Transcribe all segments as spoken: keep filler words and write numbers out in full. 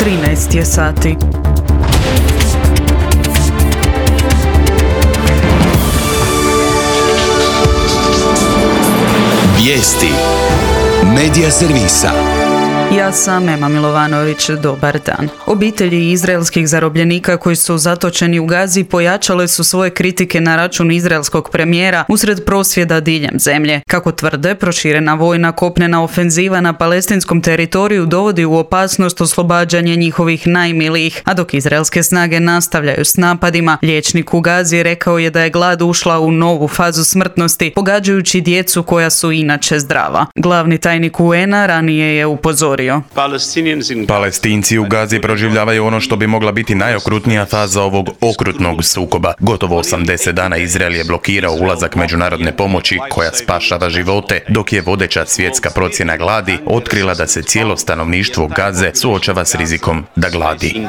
trinaest je sati. Vijesti Medija servisa. Ja sam Ema Milovanović, dobar dan. Obitelji izraelskih zarobljenika koji su zatočeni u Gazi pojačale su svoje kritike na račun izraelskog premijera usred prosvjeda diljem zemlje. Kako tvrde, proširena vojna kopnena ofenziva na palestinskom teritoriju dovodi u opasnost oslobađanje njihovih najmilijih, a dok izraelske snage nastavljaju s napadima, liječnik u Gazi rekao je da je glad ušla u novu fazu smrtnosti, pogađajući djecu koja su inače zdrava. Glavni tajnik U N A ranije je upozorio. Palestinci u Gazi proživljavaju ono što bi mogla biti najokrutnija faza ovog okrutnog sukoba. Gotovo osamdeset dana Izrael je blokirao ulazak međunarodne pomoći koja spašava živote, dok je vodeća svjetska procjena gladi otkrila da se cijelo stanovništvo Gaze suočava s rizikom da gladi.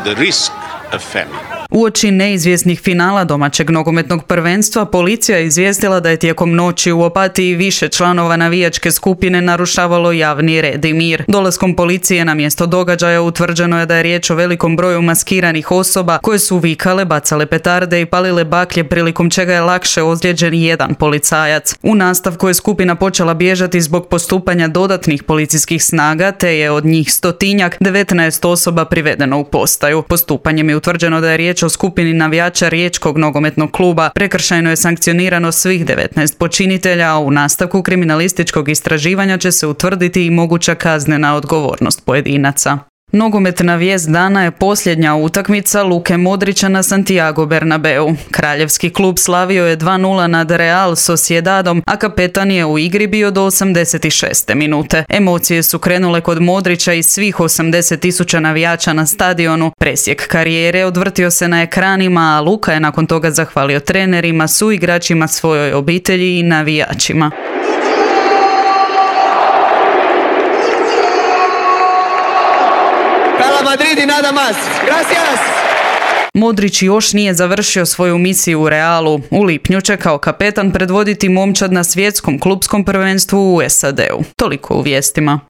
Uoči neizvjesnih finala domaćeg nogometnog prvenstva, policija je izvijestila da je tijekom noći u Opatiji više članova navijačke skupine narušavalo javni red i mir. Dolaskom policije na mjesto događaja utvrđeno je da je riječ o velikom broju maskiranih osoba koje su vikale, bacale petarde i palile baklje, prilikom čega je lakše ozlijeđen jedan policajac. U nastavku je skupina počela bježati zbog postupanja dodatnih policijskih snaga, te je od njih stotinjak devetnaest osoba privedeno u postaju. Postupanjem je utvrđeno da je riječ o skupini navijača Riječkog nogometnog kluba. Prekršajno je sankcionirano svih devetnaest počinitelja, a u nastavku kriminalističkog istraživanja će se utvrditi i moguća kaznena odgovornost pojedinaca. Nogometna vijest dana je posljednja utakmica Luke Modrića na Santiago Bernabeu. Kraljevski klub slavio je dva nula nad Real Sociedadom, a kapetan je u igri bio do osamdeset šeste minute. Emocije su krenule kod Modrića i svih osamdeset tisuća navijača na stadionu. Presjek karijere odvrtio se na ekranima, a Luka je nakon toga zahvalio trenerima, suigračima, svojoj obitelji i navijačima. Madrid y nada más. Gracias. Modrić još nije završio svoju misiju u Realu. U lipnju će kao kapetan predvoditi momčad na svjetskom klupskom prvenstvu u S A D-u. Toliko u vijestima.